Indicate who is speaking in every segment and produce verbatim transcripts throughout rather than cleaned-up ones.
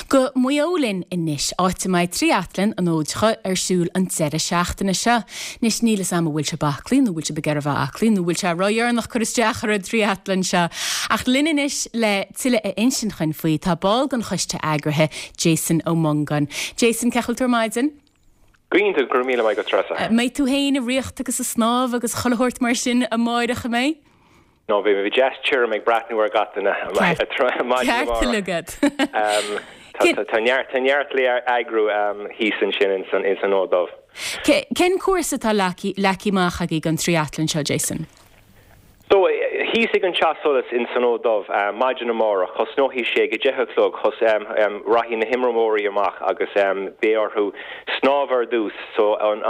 Speaker 1: Go Maigh Eo linn anois, áit a mbeidh Trí-atlan an Fhóid Chuaidh ar siúl an deireadh seachtaine seo. Anois níl 'fhios a'm an bhfuil sibh aclaí nó bhfuil sibh ag iarraidh a bheith aclaí nó bhfuil sé ródheireanach cur isteach ar an trí-atlan seo. Ach linn anois le tuilleadh a insint dúinn faoi tá ball den choiste eagraithe Jason Ó Mongáin. Jason, cén chaoi a bhfuil tú ar maidin?
Speaker 2: Go hiontach, go raibh míle maith agat, Treasa.
Speaker 1: Mbeidh tú féin ag rith agus ag snámh agus chuile shórt mar sin amáireach an mbeidh?
Speaker 2: No, bhí mé deas tirim ag breathnú ar gach duine.
Speaker 1: Ceart
Speaker 2: Tá neart neart le eagrú thíos ansin in san in san Fhód Dubh.
Speaker 1: Cén cúrsa atá leagtha amach agaibh don trí-atlan seo, Jason?
Speaker 2: So thíos ag an teach solais in san Fhód Dubh maidin amárach, tosnóidh sé ag a deich a chlog, chos rachaidh na himreoirí amach agus beidh orthu snámh ar dtús, so an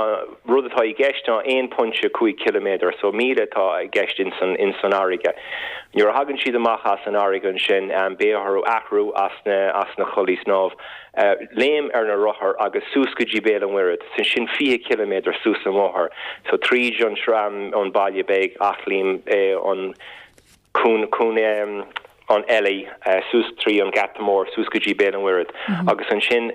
Speaker 2: rud atá i gceist ná aon pointe cúig ciliméadar, so míle atá i gceist in san in san fharraige. Nuair a thagann siad amach as an fharraige ansin beidh orthu athrú as na as na culaith snámh. Uh, léim ar na rothair agus suas go dtí Béal an Mhuirthead, sin sin fiche ciliméadar suas an bóthar, so tríd an tram an baile beag Eachléim eh, an cún cún um, an eile uh, suas trí an Geata Mór suas go dtí Béal an Mhuirthead mm -hmm. agus ansin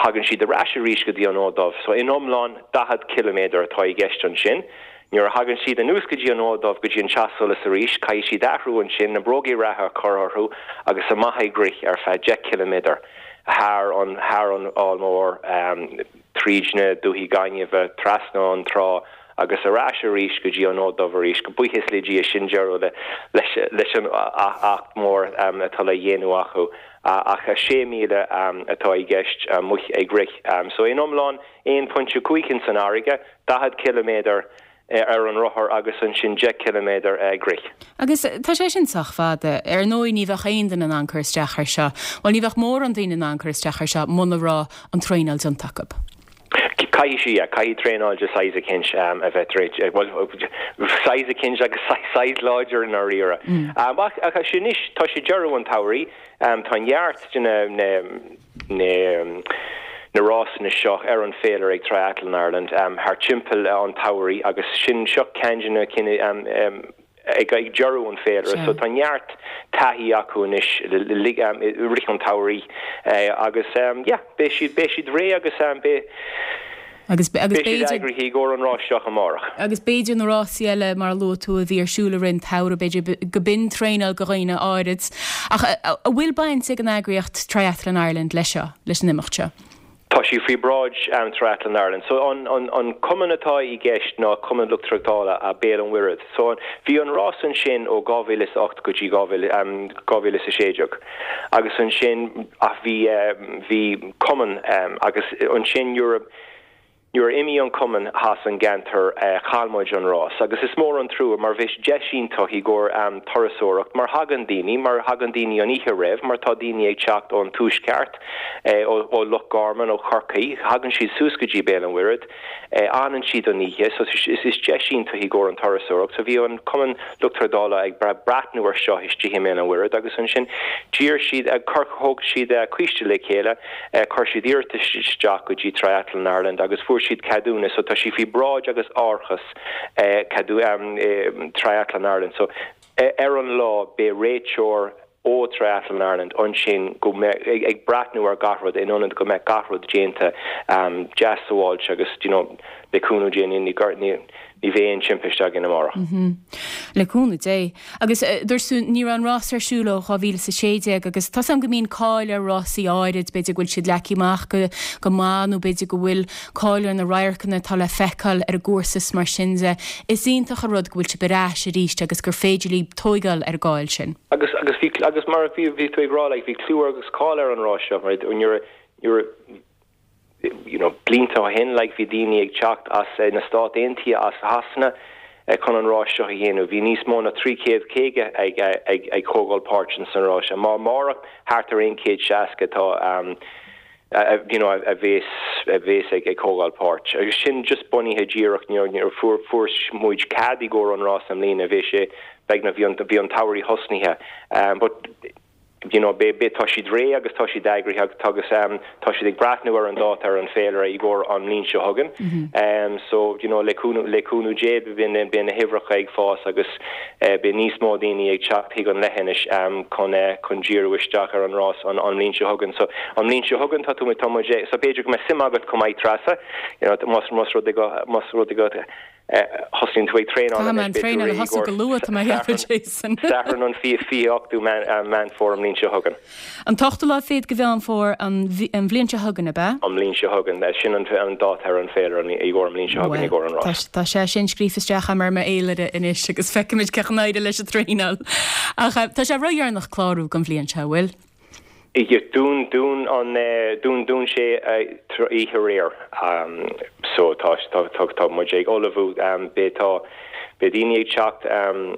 Speaker 2: thagann siad ar ais arís go dtí an Fhód Dubh, so in iomlán daichead ciliméadar atá i gceist ansin. Nuair a thagann siad anuas go dtí an Fhód Dubh go dtí an teach solais arís, caithfidh siad athrú ansin na bróga reatha a chur orthu agus amach ag rith ar feadh deich ciliméadar thar an thar an Fhál Mór um, tríd na dúichí gainimhe trasna an trá agus ar ais arís go dtí an Fhód Dubh arís go buíochas le Dia sin deireadh leis leis an acht mór um, atá le dhéanamh acu ach a sé míle um, atá i gceist amuigh ag rith. Um, so in iomlán aon pointe cúig san fharraige, daichead ciliméadar ar an rothar agus ansin deich ciliméadar ag rith.
Speaker 1: Agus tá sé sin sách fada ar ndóigh ní bheadh aon duine in ann cur isteach ar seo, Well ní bheadh mórán daoine in ann cur isteach ar seo muna raibh an traenáil déanta acu.
Speaker 2: Caithfidh sí caithfidh traenáil de size eicínt um, a bheith size eicínt agus size láidir in áirithe. Mm. Um, ach sin is tá sé deireadh an tsamhraidh um, tá neart na na na na rásanna seo ar an féilire ag Triathlon Ireland um, thar timpeall an tsamhraidh agus sin seo ceann de na cinn um, um, ag ag deireadh an féilire, so tá neart taithí acu anois rith an tsamhraidh uh, agus um, yeah, beidh siad beidh siad réidh agus um, beidh
Speaker 1: agus agus
Speaker 2: b'fhéidir i gcomhair an rás seo amárach.
Speaker 1: Agus b'fhéidir na rásaí eile mar luaigh tú a bhí ar siúl ar an samhradh b'fhéidir go b'in traenáil do dhaoine áirid. Ach an bhfuil baint ag an eagraíocht Triathlon Ireland leis seo leis an imeacht seo.
Speaker 2: Tá sí faoi bhráid um, Triathlon Ireland. So an, an, an cumann atá i gceist ná Cumann Lucht Tráchtála a Béal an Mhuirthead. So bhí an rás ansin ó dhá mhíle is ocht go dtí um, dhá mhíle is a sé déag. Agus ansin ach bhí um, bhí cumann um, agus ansin nuair Nuair a imigh an cumann as an gceantar uh, chaill muid an rás, agus is mór an trua mar bhí deis iontach i gcomhair um, turasóireacht mar thagann daoine, mar thagann daoine an oíche roimh, mar tá daoine ag teacht ón tuaisceart eh, ó, ó Loch Garman ó Chorcaigh, thagann siad suas go dtí Béal an Mhuirthead, eh, fhanann siad an oíche, so is is deis iontach i gcomhair an turasóireacht, so bhí an cumann lucht tráchtála ag breathnú ar seo istigh i mBéal an Mhuirthead agus ansin d'iarr siad ag thóg siad coiste le chéile, chuir siad iarratas isteach go dtí Triathlon Ireland agus fuair siad ceadúnas so tá sí faoi bhráid agus árachas eh, ceadú um, eh, Triathlon Ireland so eh, ar an lá beidh réiteoir ó Triathlon Ireland ansin go ag, ag breathnú ar gach rud in ionad go mbeidh gach rud déanta um, deas sábháilte agus you know, le cúnamh Dé ní ní ní bheidh aon timpiste againn amárach.
Speaker 1: Mm -hmm. Le cúnamh Dé. Agus uh, dúirt ní raibh an rás ar siúl ó dhá mhíle sé déag agus tá an go mbíonn cáil ar rásaí áirid b'fhéidir go bhfuil siad leagtha amach go go maith nó b'fhéidir go bhfuil cáil ar na radharcanna atá le feiceáil ar an gcúrsa mar sin de. Is iontach an rud go bhfuil sé ar ais arís agus gur féidir libh tógáil ar an gcáil sin.
Speaker 2: Agus agus bhí agus mar bhí bhí tú ag rá like, bhí clú agus cáil ar an rás seo right nuair nuair you know blianta ó shin like bhí daoine ag teacht as eh, na Stáit Aontaithe as Sasana eh, chun an rás seo a dhéanamh bhí níos mó ná trí chéad caoga ag ag ag tógáil páirt san rás mar amárach thart ar aon chéad seasca tá um, uh, you know a bheas a bheas ag ag tógáil páirt agus sin just bunaithe díreach nuair fuair fuair muid cead i gcomhair an rás i mbliana bhí sé beag na bhí an bhí an samhradh tosnaithe um, but you know be be tá siad réidh agus tá siad eagraithe agus agus um, tá siad ag breathnú ar an dáta ar an féilire i gcomhair an bhliain seo chugainn. Mm -hmm. um, so you know le cúnamh le cúnamh Dé bíonn bíonn na huimhreacha ag fás agus uh, beidh níos mó daoine ag teacht chuig an leithinis um, chun uh, chun díriú isteach ar an rás an an bhliain seo chugainn. So an bhliain seo chugainn tá tú tá so b'fhéidir go mbeidh suim agat chomh maith Treasa you know, más más rud go más rud go thosaíonn tú ag traenáil
Speaker 1: an traenáil a thosú go luath tá Jason.
Speaker 2: Satharn an fiche fiche ochtú Meán Fómhair an bhliain seo chugainn.
Speaker 1: An t-ochtú lá fichead de Mheán Fómhair an bhliain seo chugainn ab ea?
Speaker 2: An bhliain seo chugainn sin an dáta ar an féilire i gcomhair an bhliain seo chugainn i gcomhair an rás.
Speaker 1: Tá sé sin scríofa isteach ar m'fhéilire anois agus feicfimid cén chaoi ar éirigh leis an traenáil. Ach tá sé ródheireanach clárú don bhliain seo bhfuil?
Speaker 2: Dún dún an dún dún sé oíche aréir so tá tá tá tá muid ag ullmhú beidh tá beidh daoine ag teacht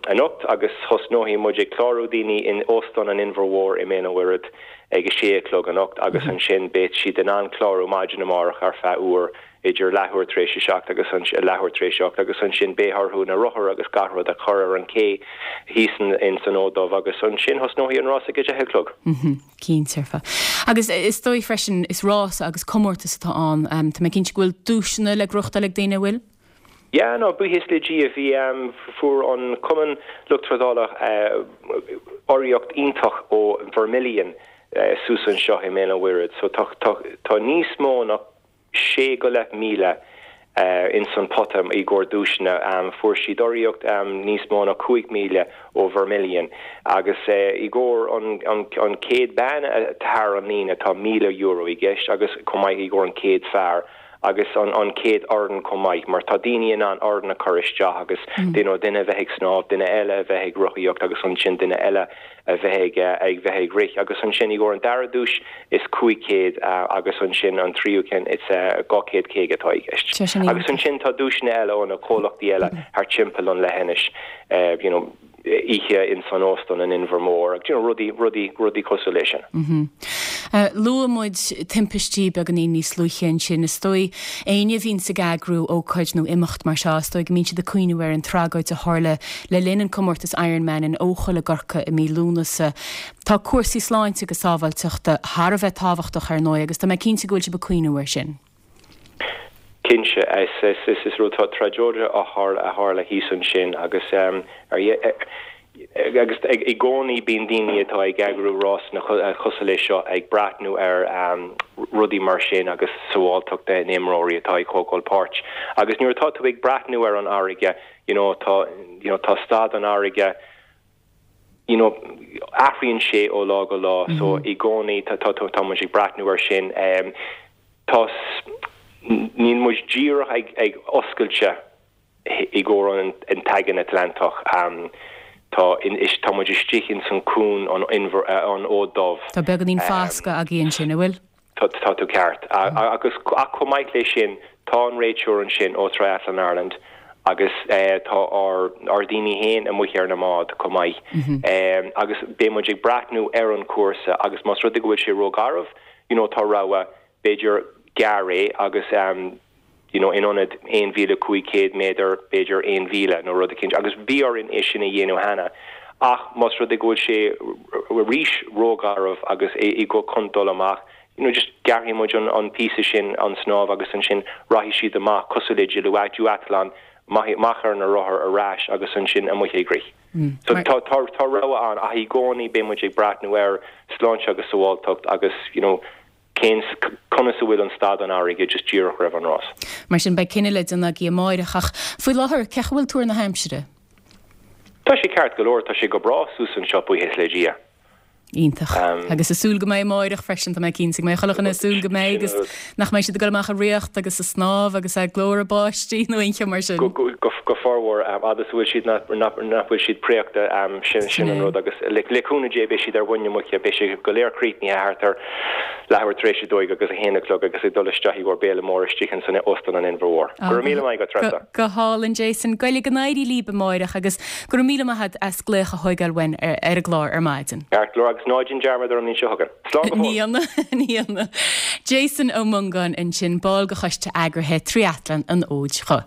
Speaker 2: anocht agus thosnóidh muid ag clárú daoine in Óstán an Inbhir Mhóir i mBéal an Mhuirthead ag a sé a chlog anocht agus ansin beidh siad in ann clárú maidin amárach ar feadh uair idir leathuair tar éis a seacht agus an leathuair tar éis a hocht agus ansin beidh orthu na rothair agus gach rud a chur ar an ché thíos in san Fhód Dubh agus ansin thosnóidh an rás ag a deich a chlog.
Speaker 1: Cinnte. Agus is dóigh freisin is rás agus comórtas atá ann, tá mé cinnte go bhfuil duaiseanna le gnóthachtáil ag daoine bhfuil?
Speaker 2: Yeah, no, buíochas le Dia bhí um, fuair an Cumann Lucht Trádála uh, urraíocht iontach ó Vermilion uh, suas anseo i mBéal an Mhuirthead. So tá, tá, tá níos mó ná sé go leith míle uh, in san pota i gcomhair duaiseanna um, fuair siad urraíocht um, níos mó ná cúig míle ó Vermilion agus uh, i gcomhair an, an, an céad bean thar an líne tá míle euro i gceist agus chomh maith i gcomhair an céad fear agus an, an céad fhoireann chomh maith mar tá daoine in ann fhoireann a chur isteach agus mm. duine duine bheith ag snámh duine eile a bheith ag rothaíocht agus ansin duine eile a bheith ag ag bheith ag rith agus ansin i gcomhair an dara duais is cúig chéad agus ansin an tríú ceann is dhá chéad caoga atá i gceist. Agus ansin tá duaiseanna eile ó na comhlachtaí eile thar timpeall an leithinis you know, oíche in san óstán an Inbhir Mór ag you know, rudaí rudaí rudaí cosúil leis sin.
Speaker 1: Mm -hmm. Uh, Luaigh muid timpistí beagáinín níos luaithe ansin is dóigh éinne a bhíonn ag eagrú ócáid nó imeacht mar seo is dóigh go mbíonn siad ag cuimhneamh ar an tragóid a tharla le linn an comórtas Ironman in Eochaill i gCorcaigh i mí Lúnasa. Tá cúrsaí sláinte agus sábháilteachta thar a bheith tábhachtach ar ndóigh agus tá mé cinnte go bhfuil sibh ag cuimhneamh air sin.
Speaker 2: Cinnte is is is is rud tragóid a tharla a tharla thíos ansin agus um, ar agus i gcónaí bíonn daoine atá ag eagrú rásanna cosúil leis seo ag breathnú ar um, rudaí mar sin agus sábháilteacht na n-imreoirí atá ag tógáil páirt. Agus nuair atá tú ag breathnú ar an fharraige you know, tá you know, tá staid an fharraige you know, athraíonn sé ó lá go lá mm -hmm. so i gcónaí tá tá tá muid ag breathnú ar sin um, tá níl muid díreach ag, ag oscailte i gcomhair an, an tAigéan Atlantach. Um, tá in is tá muid istigh in san cuan an Inbhir uh, an Fhóid Dubh.
Speaker 1: Tá beagáinín foscadh agaibh ansin an bhfuil?
Speaker 2: Tá tá tú ceart. agus ach chomh maith leis sin tá an réiteoir ansin ó Triathlon Ireland agus uh, tá ár ár daoine féin amuigh ar na mbáid chomh maith. Mm -hmm. um, agus beidh muid ag breathnú ar an cúrsa agus más rud go bhfuil sé rógharbh, you know, tá rogha b'fhéidir gearr é agus um, you know, in ionad aon mhíle cúig chéad méadar b'fhéidir aon mhíle nó rud éicint agus bhí orainn é sin a dhéanamh cheana ach más rud go bhfuil sé arís rógharbh agus é i go chun dul amach you know, just gearrfaidh muid an, an píosa sin an snámh agus ansin rachaidh siad amach cosúil le duathlon amach ar na rothair ar ais agus ansin amuigh ag rith. Mm. So tá tá tá rogha ann ach i gcónaí beidh muid ag breathnú ar sláinte agus sábháilteacht agus you know, cén conas a bhfuil an staid an fharraige just díreach roimh an rás.
Speaker 1: Mar sin beidh cinneadh le déanamh agaibh amárach ach faoi láthair cén chaoi a bhfuil tuar na haimsire.
Speaker 2: Tá sé ceart go leor tá sé go breá suas anseo buíochas le Dia.
Speaker 1: Iontach. Agus ag súil go mbeidh amárach freisin tá mé cinnte go mbeidh chuile dhuine ag súil go mbeidh agus nach mbeidh siad ag dul amach ag rith agus ag snámh agus ag glór báistí nó aon cheo mar sin.
Speaker 2: Go go formhór agus bhfuil siad nach bhfuil siad préachta sin sin an rud agus le le cúnamh Dé beidh siad ar mhuin na muice beidh sé go léir críochnaithe thart ar leathuair tar éis a dó agus a haon a chlog agus ag dul isteach i gcomhair béile mór istigh in san Óstán an Inbhir Mhóir. Go raibh míle maith agat Treasa.
Speaker 1: Go hálainn Jason, go go n-éirí libh amárach agus go raibh míle maith agat as glaoch a thógáil uainn ar ar an gclár ar maidin.
Speaker 2: Ceart go leor agus ná déan dearmad ar an mbliain seo chugainn. Slán go fóill.
Speaker 1: Ní dhéanfaidh, ní dhéanfaidh. Jason Ó Mongáin ansin ball de choiste eagraithe Triathlon an Fhóid Dhuibh.